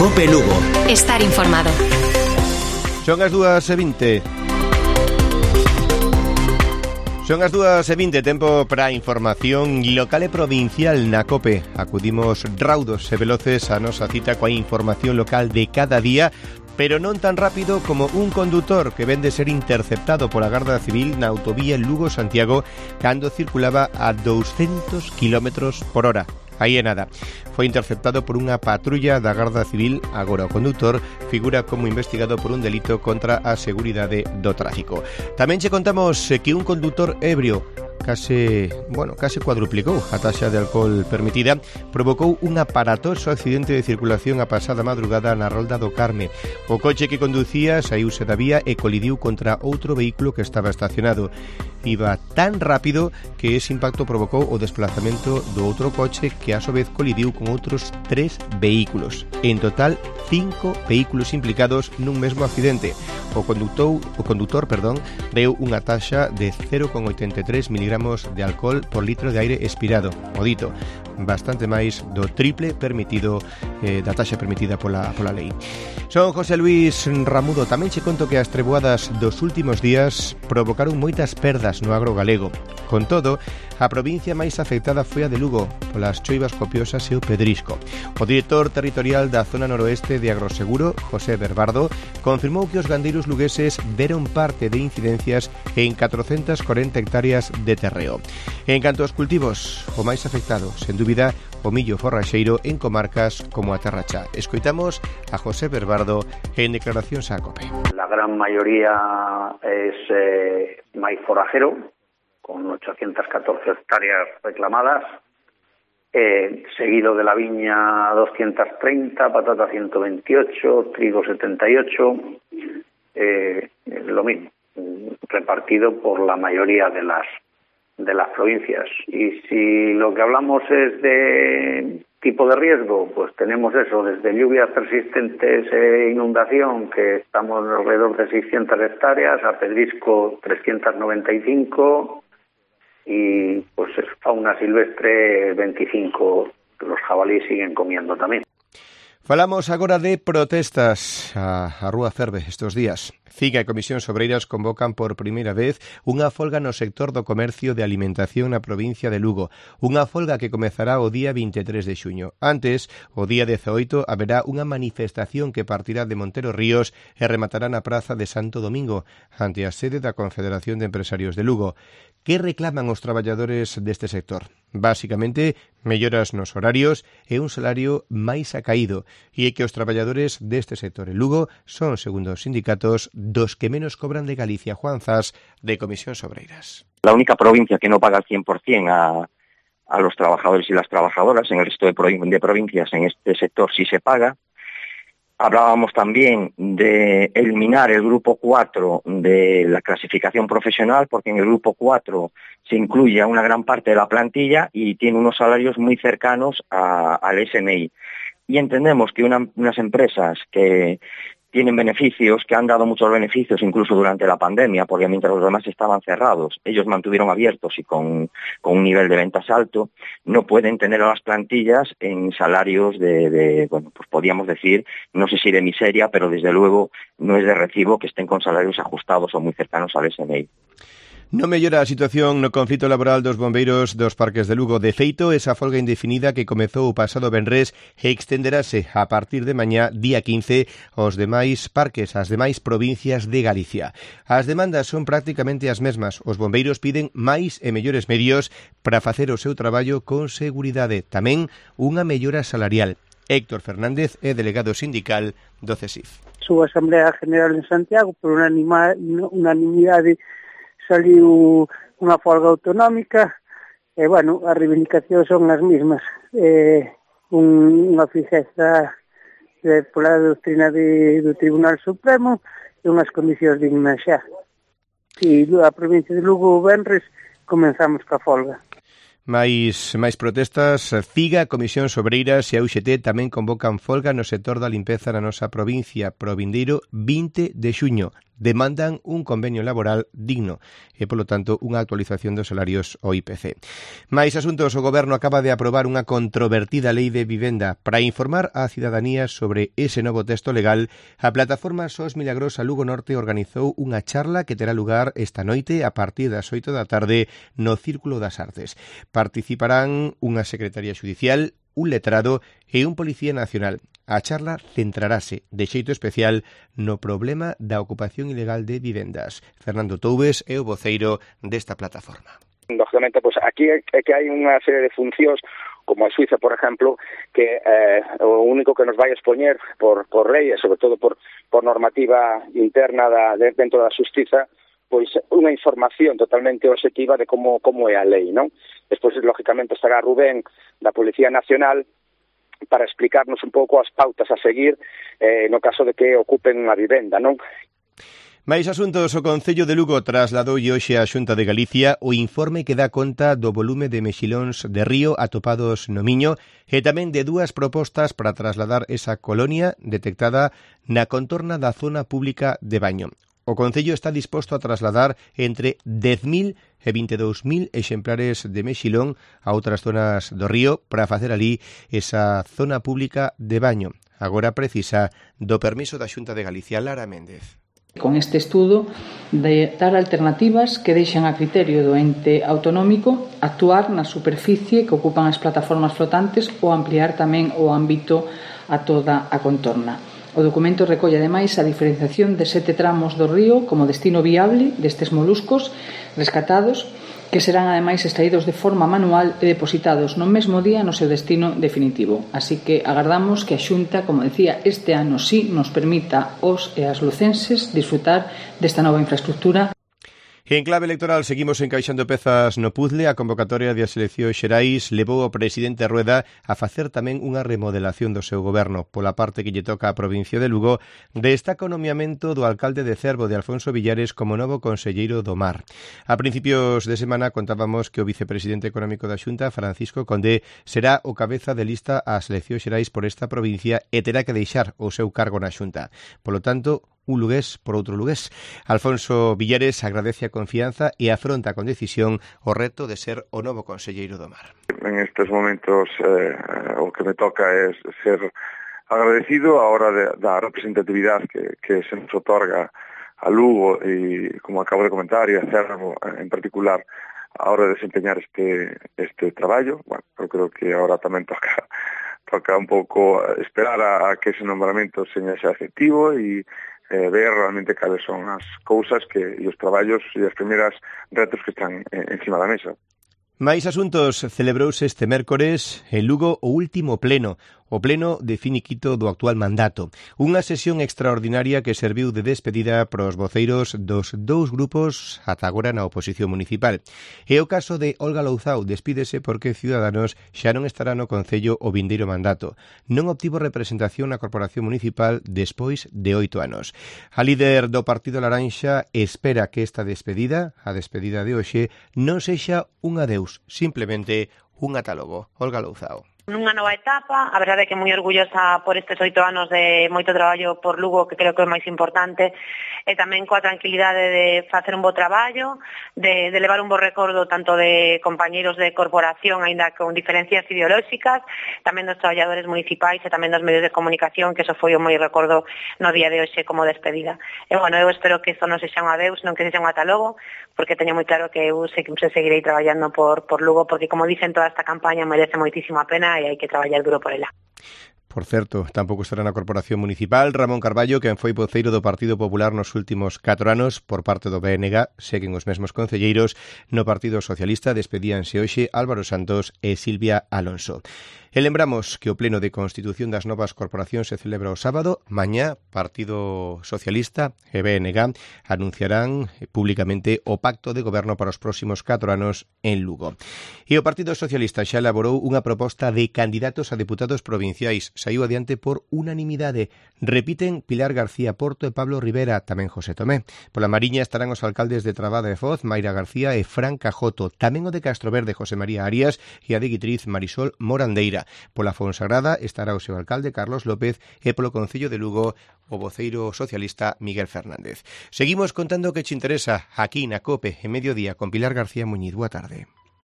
COPE Lugo. Estar informado. Son as 2:20. Son as 2:20, tempo para a información local e provincial na COPE. Acudimos raudos e veloces a nosa cita coa información local de cada día, pero non tan rápido como un condutor que vén de ser interceptado pola Garda Civil na autovía Lugo-Santiago cando circulaba a 200 km por hora. Aí é nada. Foi interceptado por unha patrulla da Garda Civil. Agora o condutor figura como investigado por un delito contra a seguridade do tráfico. Tamén che contamos que un condutor ebrio case cuadruplicou a taxa de alcohol permitida, provocou un aparatoso accidente de circulación a pasada madrugada na Rolda do Carme. O coche que conducía saíuse da vía e colidiu contra outro vehículo que estaba estacionado. Iba tan rápido que ese impacto provocou o desplazamento do outro coche que a su vez colidiu con outros 3 vehículos. En total, 5 vehículos implicados nun mesmo accidente. O condutor, deu unha taxa de 0,83 miligramos de alcohol por litro de aire expirado. O dito, bastante máis do triple permitido da taxa permitida pola lei. Son José Luis Ramudo. Tamén che conto que as treboadas dos últimos días provocaron moitas perdas no agro galego. Con todo, a provincia máis afectada foi a de Lugo, polas choivas copiosas e o pedrisco. O director territorial da zona noroeste de Agroseguro, José Berbardo, confirmou que os gandeiros lugueses deron parte de incidencias en 440 hectáreas de terreo. En canto aos cultivos, o máis afectado, sen dúbida, o millo forraxeiro en comarcas como a Terra Cha. Escoitamos a José Berbardo en declaracións á COPE. La gran mayoría es maíz forrajero, con 814 hectáreas reclamadas, seguido de la viña 230, patata 128, trigo 78, lo mismo, repartido por la mayoría de las provincias. Y si lo que hablamos es de tipo de riesgo, pues tenemos eso, desde lluvias persistentes e inundación, que estamos alrededor de 600 hectáreas, a pedrisco 395, y pues fauna silvestre 25, los jabalíes siguen comiendo tamén. Falamos agora de protestas. A Rúa ferve estes días. CIGA e Comisións Obreiras convocan por primeira vez unha folga no sector do comercio de alimentación na provincia de Lugo. Unha folga que comezará o día 23 de xuño. Antes, o día 18, haberá unha manifestación que partirá de Montero Ríos e rematará na Praza de Santo Domingo, ante a sede da Confederación de Empresarios de Lugo. Que reclaman os traballadores deste sector? Básicamente, melloras nos horarios e un salario máis acaído, e é que os traballadores deste sector en Lugo son, segundo os sindicatos, dos que menos cobran de Galicia. Juan Zas, de Comisións Obreiras. La única provincia que no paga al 100% a los trabajadores y las trabajadoras, en el resto de provincias en este sector sí se paga. Hablábamos también de eliminar el grupo 4 de la clasificación profesional, porque en el grupo 4 se incluye a una gran parte de la plantilla y tiene unos salarios muy cercanos al SMI. Y entendemos que unas empresas que tienen beneficios, que han dado muchos beneficios incluso durante la pandemia, porque mientras los demás estaban cerrados, ellos mantuvieron abiertos y con un nivel de ventas alto, no pueden tener a las plantillas en salarios bueno, pues podríamos decir, no sé si de miseria, pero desde luego no es de recibo que estén con salarios ajustados o muy cercanos al SMI. Non mellora a situación no conflito laboral dos bombeiros dos parques de Lugo. De feito, esa folga indefinida que comezou o pasado venres extenderase a partir de mañá, día 15, aos demais parques, ás demais provincias de Galicia. As demandas son prácticamente as mesmas. Os bombeiros piden máis e mellores medios para facer o seu traballo con seguridade. Tamén unha mellora salarial. Héctor Fernández é delegado sindical do CESIF. Súa Asamblea General en Santiago, por unanimidade, saliu unha folga autonómica e, bueno, as reivindicacións son as mesmas. Unha fixeza pola doutrina do Tribunal Supremo e unhas condicións dignas xa. E a provincia de Lugo, o venres, comenzamos ca folga. Mais protestas. CIGA, Comisións Obreiras e a UGT tamén convocan folga no sector da limpeza na nosa provincia pro vindeiro 20 de xuño. demandan un convenio laboral digno e, polo tanto, unha actualización dos salarios ao IPC. Máis asuntos, o Goberno acaba de aprobar unha controvertida lei de vivenda. Para informar á cidadanía sobre ese novo texto legal, a plataforma SOS Milagrosa Lugo Norte organizou unha charla que terá lugar esta noite a partir das 8 da tarde no Círculo das Artes. Participarán unha secretaria xudicial, un letrado e un policía nacional. A charla centrarase de xeito especial no problema da ocupación ilegal de vivendas. Fernando Toubes é o voceiro desta plataforma. Lógicamente, pues aquí é que hai unha serie de funcións como a Suiza, por exemplo, que o único que nos vai expoñer por lei e sobre todo por normativa interna dentro da xustiza, pois unha información totalmente obxectiva de como é a lei, non? Despois, lógicamente, estará Rubén da Policía Nacional para explicarnos un pouco as pautas a seguir no caso de que ocupen unha vivenda, non? Mais asuntos, o Concello de Lugo trasladou hoxe á Xunta de Galicia o informe que dá conta do volume de mexilóns de río atopados no Miño e tamén de dúas propostas para trasladar esa colonia detectada na contorna da zona pública de Baño. O Concello está disposto a trasladar entre 10.000 e 22.000 exemplares de mexilón a outras zonas do río para facer ali esa zona pública de Baño. Agora precisa do permiso da Xunta de Galicia. Lara Méndez. Con este estudo de dar alternativas que deixan a criterio do ente autonómico actuar na superficie que ocupan as plataformas flotantes ou ampliar tamén o ámbito a toda a contorna. O documento recolle ademais a diferenciación de 7 tramos do río como destino viable destes moluscos rescatados que serán ademais extraídos de forma manual e depositados no mesmo día no seu destino definitivo. Así que agardamos que a Xunta, como decía, este ano sí nos permita aos e as lucenses disfrutar desta nova infraestructura. En clave electoral seguimos encaixando pezas no puzzle. A convocatoria das eleccións xerais levou o presidente Rueda a facer tamén unha remodelación do seu goberno. Pola parte que lle toca á provincia de Lugo, destaca o nomeamento do alcalde de Cervo, de Alfonso Villares, como novo conselleiro do Mar. A principios de semana contábamos que o vicepresidente económico da Xunta, Francisco Condé, será o cabeza de lista ás eleccións xerais por esta provincia e terá que deixar o seu cargo na Xunta. Polo tanto, un lugués por outro lugués. Alfonso Villares agradece a confianza e afronta con decisión o reto de ser o novo conselleiro do Mar. En estes momentos o que me toca é ser agradecido a hora da representatividade que se nos otorga a Lugo e, como acabo de comentar, e a Cervo en particular a hora de desempeñar este traballo. Bueno, eu creo que agora tamén toca un pouco esperar a que ese nombramento seña xa efectivo e ver realmente cales son as cousas e os traballos e as primeiras retos que están encima da mesa. Mais asuntos, celebrouse este mércores en Lugo o último pleno, o pleno de finiquito do actual mandato. Unha sesión extraordinaria que serviu de despedida para os voceiros dos dous grupos ata agora na oposición municipal. E o caso de Olga Louzao despídese porque Ciudadanos xa non estará no Concello o vindeiro mandato. Non obtivo representación na Corporación Municipal despois de 8 anos. A líder do Partido Laranxa espera que esta despedida, a despedida de hoxe, non sexa un adeus, simplemente un ata logo. Olga Louzao. Nunha nova etapa, a verdade é que moi orgullosa por estes 8 anos de moito traballo por Lugo, que creo que é o máis importante, e tamén coa tranquilidade de facer un bo traballo, de levar un bo recordo tanto de compañeiros de corporación, aínda con diferencias ideolóxicas, tamén dos traballadores municipais e tamén dos medios de comunicación, que eso foi o moi recordo no día de hoxe como despedida. E, bueno, eu espero que isto non sexa un adeus, non que sexa un ata logo, porque teño moi claro que eu seguirei traballando por Lugo, porque, como dicen, toda esta campaña merece moitísima pena e hai que traballar duro por ela. Por certo, tampouco estará na Corporación Municipal Ramón Carballo, quen foi voceiro do Partido Popular nos últimos 4 anos por parte do BNG. Seguen os mesmos concelleiros. No Partido Socialista despedíanse hoxe Álvaro Santos e Silvia Alonso. E lembramos que o pleno de constitución das novas corporacións se celebra o sábado. Mañá, Partido Socialista e BNG anunciarán públicamente o pacto de goberno para os próximos 4 anos en Lugo. E o Partido Socialista xa elaborou unha proposta de candidatos a deputados provinciais. saiu adiante por unanimidade. Repiten Pilar García Porto e Pablo Rivera, tamén José Tomé. Pola Mariña estarán os alcaldes de Trabada e Foz, Mayra García e Fran Cajoto, tamén o de Castroverde, José María Arias, e a de Guitriz, Marisol Morandeira. Pola Fonsagrada estará o seu alcalde, Carlos López, e polo Concello de Lugo, o voceiro socialista Miguel Fernández. Seguimos contando o que che interesa aquí na COPE, en Mediodía, con Pilar García Muñiz. Boa tarde.